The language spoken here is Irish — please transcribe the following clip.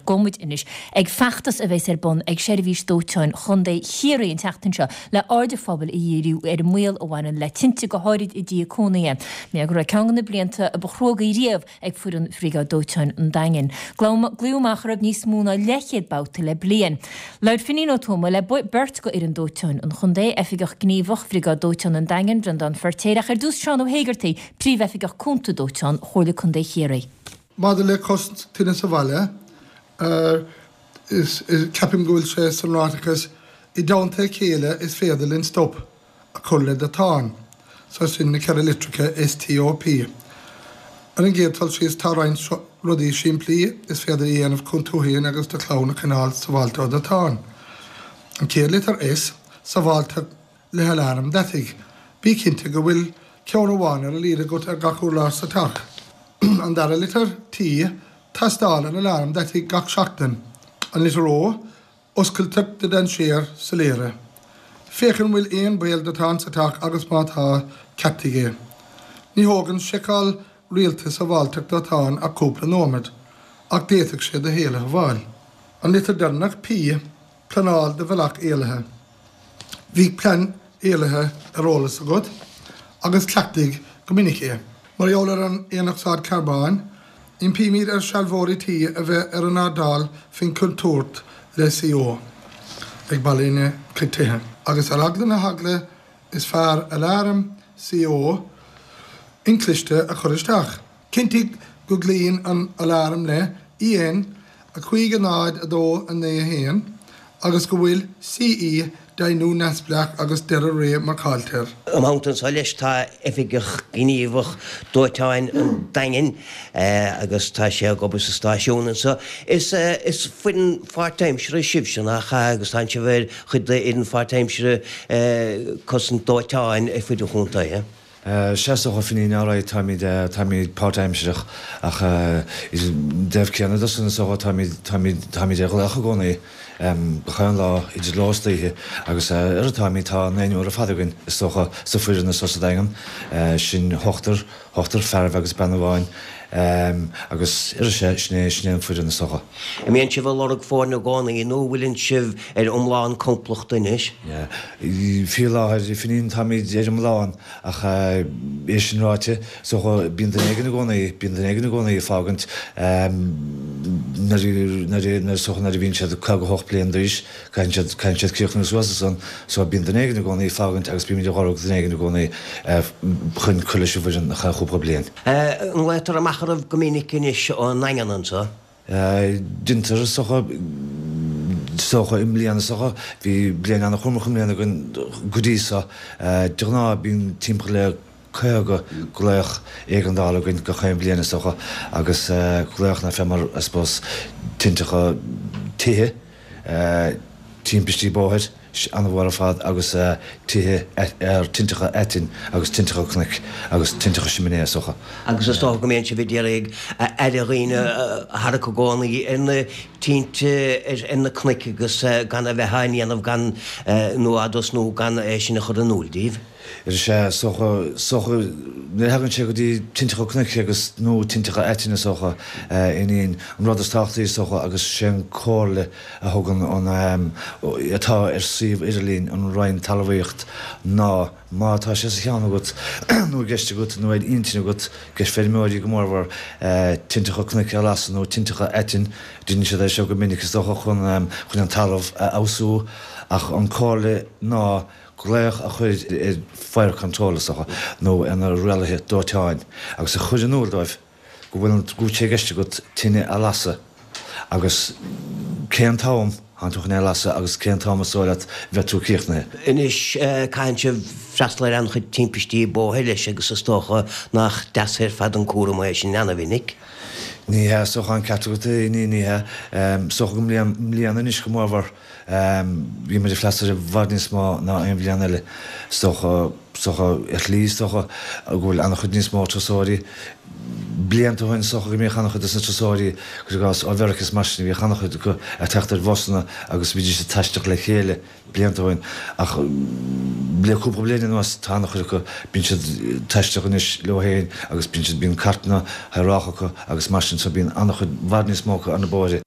Ach gabhfaidh muid anois ag feachtas a bheas ar bun ag Seirbhís Dóiteáin Chontae Chiarraí an tseachtain seo le aird an phobail a dhíriú ar an mbaol a bhaineann le tinte, go háirid i dtithe cónaithe. Mar go raibh ceann de na blianta ba chruógaí riamh ag foireann Bhriogáid Dóiteáin an Daingin. Glaodh amach orthu níos mó ná leathchéad babhta le bliain. Labhair Finín Ó Tuama le beirt de fhoireann dóiteáin an chontae, Oifigeach Gníomhach Bhriogáid Dóiteáin an Daingin, Breandán Feirtéar, ach ar dtús Seán Ó hÉigeartaigh, Príomhoifigeach Cúnta Dóiteáin Chomhairle Contae Chiarraí. Maidir le cosaint tine sa bhaile, ceapaim go bhfuil sé san ráiteachas 'i dteannta a chéile is féidir linn stop a chur le dóiteán'. So sin na 4 litreacha STOP. Ar an gcéad dul síos tá roinnt rudaí simplí is féidir a dhéanamh chun tú féin agus do chlann a choinneáil sábháilte ó dóiteán. An chéad litir S, sábháilteacht le haláram deataigh. Bí cinnte go bhfuil ceann amháin ar a laghad agat ar gach urlár sa teach. An dara litir, T, tástáil an aláram deataigh gach seachtain. An litir O, oscailteacht do dainséir soiléire. Féach an bhfuil aon baol dóiteáin sa teach agus má tá, ceartaigh é. Ní thógann seiceáil rialta sábháilteacht dóiteáin ach cúpla nóiméad, ach d'fhéadfadh sé do shaol a shábháil. An litir deireanach, P, pleanáil do bhealach éalaithe. Bíodh plean éalaithe ar eolas agat agus cleachtaigh go minic é. Mar gheall ar an aonocsaíd charbóin, impímid ar shealbhóirí tí a bheith ar a n-airdeall faoin chontúirt le CO ag ballaí na gcuid tithe. Agus ar eagla na heagla is fearr aláram CO inchliste a chur isteach. Cinntigh go gcloíonn an aláram le EN 5 0 2 9 1 agus go bhfuil CE deimhniú neamhspleách agus deireadh ré marcáilte air. I mo theannta anseo leis tá Oifigeach Gníomhach Dóiteáin an Daingin agus tá sé ag obair sa stáisiún anseo. Is is foireann pháirtaimseartha sibhse nach ea agus tánn sibh ar chuid d'fhoireann pháirtaimseartha cosaint dóiteáin ar fud an chontae. Sea, is dócha, a Fhinín, alright, táimid, táimid páirtaimsireach ach i dtaobh céanna de san, is dócha, táimid, táimid, táimid ar ghlaoch i gcónaí, gach aon lá, idir ló is oíche agus ar a táimid, tá naonúr ar fad againn, is dócha, sa foireann anso sa Daingean, sin ochtar, ochtar fearaibh agus bean amháin agus ar sea, sin é, sin é an foireann, is dócha. An mbíonn sibh ag lorg foirne i gcónaí nó an bhfuileann sibh ar iomlán complachta anois? Faoi láthair, a Fhinín, táimid ar iomlán ach é sin ráite, is dócha, bíonn duine éigin i gcónaí, bíonn duine éigin i gcónaí ag fágaint nuair, nuair, is dócha nuair a bhíonn siad 58 bliain d'aois, caitheann siad, caitheann siad críochnú suas ansan, so bíonn duine éigin i gcónaí ag fágaint agus bímid ag lorg duine éigin i gcónaí chun cur leis an bhfoireann ar feadh chúpla bliain. An nglaotar amach oraibh go minic anois ón nDaingean anso? Deintear, is dócha, is dócha i mbliana, is dócha, bhí bliain an-chúramach i mbliana againn go dtí so. De ghnáth bíonn timpeall le 50 glaoch éigeandála againn gach aon bhliain is dócha agus glaoch ná fé mar, I suppose, tinteacha tithe, timpistí bóthair. an-mhór ar fad agus tithe ar tinteacha aitinn agus tinteacha cnoic agus tinteacha siminé is dócha. Agus is dócha go mbíonn sibh ag iarraidh aire dhaoine a tharrac i gcónaí ar na tinte ar na cnoic agus gan a bheith á ndéanamh gan nó á dtosnú gan é sin a chur in iúl díobh. Is ea, is dócha, is dócha, nuair a thagann sé go dtí tinteacha cnoic agus, nó tinteacha aitinn is dócha, a Fhinín, an rud is tábhachtaí is dócha agus sé an comhairle a thugann an, atá ar suíomh idirlín an Roinn Talmhaíocht ná má tá sé sa cheann agat nó i gceist agat nó ar intinn agat, i gceist feirmeoirí go mórmhór, tinteacha cnoic a lasadh nó tinteacha aitinn, deineann siad é seo go minic is dócha chun, chun an talamh a fheabhsú ach an comhairle ná glaoch a chur ar Fire Control is dócha, nó ar na rialaithe dóiteáin agus a chur in iúl dóibh go bhfuil an, go bhfuil sé i gceist agat tine a lasadh agus cén t-am thánn tú chun é a lasadh agus cén t-am is dóigh leat bheidh tú críochnaithe. Anois, caitheann sibh freastal ar an-chuid timpistí bóthair leis agus is dócha nach deas ar fad an cúram é sin ana-mhinic. Ní hea, is dócha an ceart agat, ní, ní hea. Is dócha go mbliain, mbliana anois go mórmhór. Bhí muid ag freastal ar i bhfad níos mó ná aon bhliain eile. Is dócha, is dócha, ar shlí, is dócha go bhfuil an-chuid níos mó turasóirí. Blianta ó shin, is dócha go mbíodh an-chuid dos na turasóirí, cuir i gcás, ó Mheiriceá is mar sin, bhíodh an-chuid acu ag teacht ar bhusanna agus bhídís ag taisteal le chéile blianta ó shin. Ach le cúpla bliain anuas, tá an-chuid acu, bíonn siad ag taisteal anois leo féin agus bíonn siad, bíonn cairteanna shaorách acu agus mar sin, so bíonn an-chuid, i bhfad níos mó acu ar na bóithre.